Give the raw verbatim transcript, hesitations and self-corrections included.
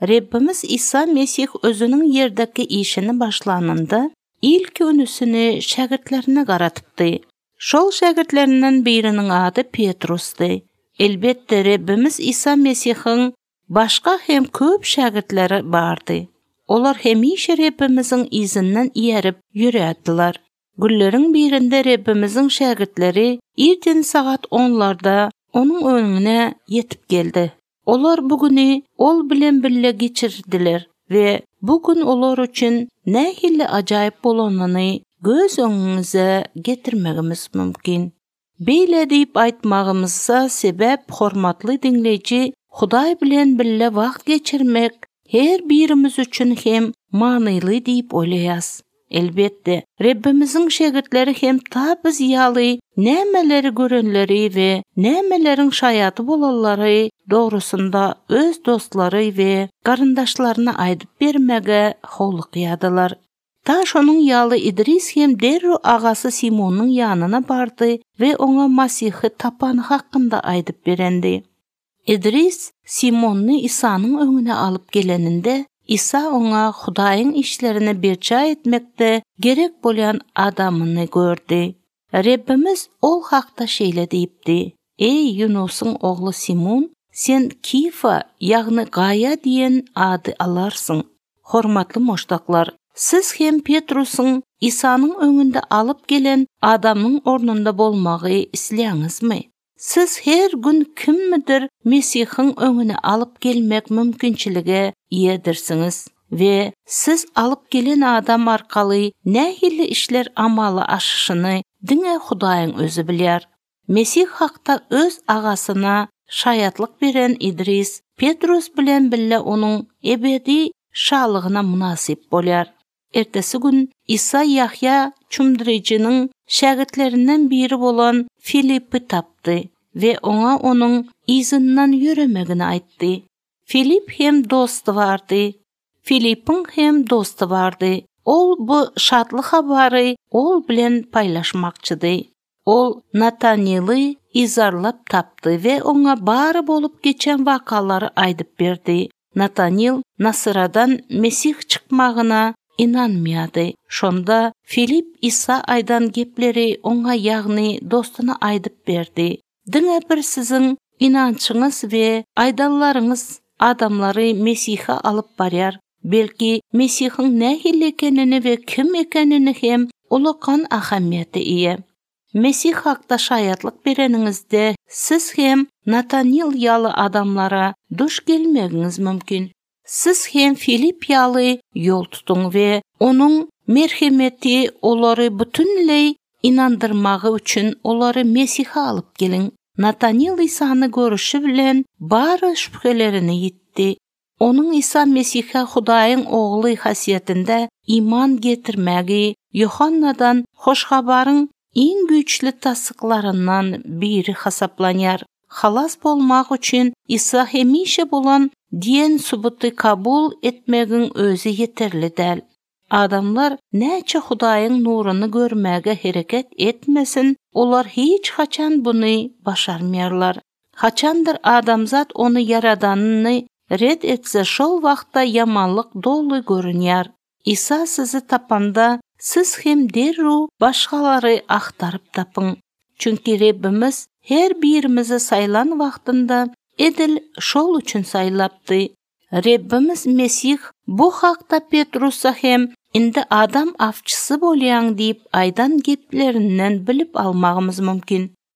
Rabbimiz İsa Mesih özünün yerdeki işini başlanında ilk önüsünü şagirdlerine qaratıpdy. Şol şagirdlerinden birinin adı Petrus'dy. Elbette Rabbimiz İsa Mesih'in başka hem köp şagirdleri bardy. Olar hemişe Rabbimizin izinden iyerip yürüyatdılar. Günlerin birinde Rabbimizin şagirdleri erten saat onlarda onun önüne yetip geldi. Olar bugünü ol bilen birle geçirdiler ve bugün olar için ne hille acayip bolanını göz önünüze getirmegimiz mümkün. Beyle deyip aytmağımızsa sebep hormatly dinleyici, Huday bilen birle wagt geçirmek her birimiz üçün hem manyly deyip oylayas. Elbette Rabbimizin şagirdleri hem ta biz ýaly nämeleri görenleri ve nämelerin şayaty bolalary doğrusunda öz dostlary ve garyndaşlaryna aýdyp bermege howluk ýadylar. Ta şonun ýaly İdris hem derru agasy Simonun ýanyna bardy ve ona Masihy tapany hakynda aýdyp berendi. İdris Simonni İsa'nın öňüne alıp geleninde İsa ona Hudaýyň işlerini berçä etmekde gerek bolan adamyny gördü. Rabbimiz ol hakda şeýle diýipdi: "Ey Yunusyň ogly Simon, sen Kifa ýagny Gaya diýen ady alarsyň." Hormatly moşdaklar, siz hem Petrusyň İsa'nın öňünde alıp gelen adamyň ornunda bolmagy isleýäňizmi? Siz her gün kimmidir Mesihiň öňüne alıp gelmek mümkinçilige iýedirsiniz ve siz alıp gelen adam arkaly nähili işler amaly aşyşyny diňe Hudaýyň özü bilýär. Mesih hakda öz agasyna şaýatlyk beren İdris, Petrus bilen bille onuň ebedi şalygyna munasip bolýar. Ertesi gün İsa Yahya çumdyryjynyň şagirdlerinden biri bolan Filippi tapdy ve ona onun izinden yürümegini aýtdy. Filip hem dostu vardı. Filip'in hem dostu vardı. Ol bu şatlyk habary ol bilen paýlaşmakçydy. Ol Nataniel'i izarlap tapdy ve ona bary bolup geçen wakalary aýdyp berdi. Nataniel Nasıradan Mesih çykmagyna inanmaýady. Şonda Filip İsa aýdan gepleri ona ýagny dostuna aýdyp berdi. Diňe bir sizin inançyňyz we aýdallaryňyz adamlary Mesih'e alıp barýar. Belki Mesihiň nähili ekenini we kim ekenini hem ulakan ahamiýeti iýe. Mesih hakda şaýatlyk bereniňizde siz hem Nataniel ýaly adamlara duş gelmegiňiz mümkin. Siz hem Filip ýaly ýol tutuň we onuň merhemeti olary bütünlei inandyrmagy üçin olary Mesih'e alıp gelin. Nataniel İsa'ny görüşi bilen bary şüphelerini ýitdi. Onun İsa Mesih'e Hudaýyň ogly hasyatynda iman getirmegi Yohannadan hoş habaryň iň güýçli tasdyklaryndan biri hasaplanýar. Halas bolmak üçin İsa hemişe bolan diýen subuty kabul etmegiň özü yeterli däl. Adamlar näçe Hudaýyň nuruny görmäge hereket etmesin, olar hiç haçan bunu başarmaýarlar. Haçandır adamzat onu yaradanyny red etse şol wagtda yamanlyk dolu görünýär. İsa sizi tapanda siz hem derru başgalary aktaryp tapyň. Çünki Rabbimiz her birimizi saýlan wagtynda edil şol üçin saýlapdy. Rabbimiz Mesih bu hakda Petrusa hem indi adam afçısı bolýan diýip aýdan geplerinden bilip almagymyz mümkin.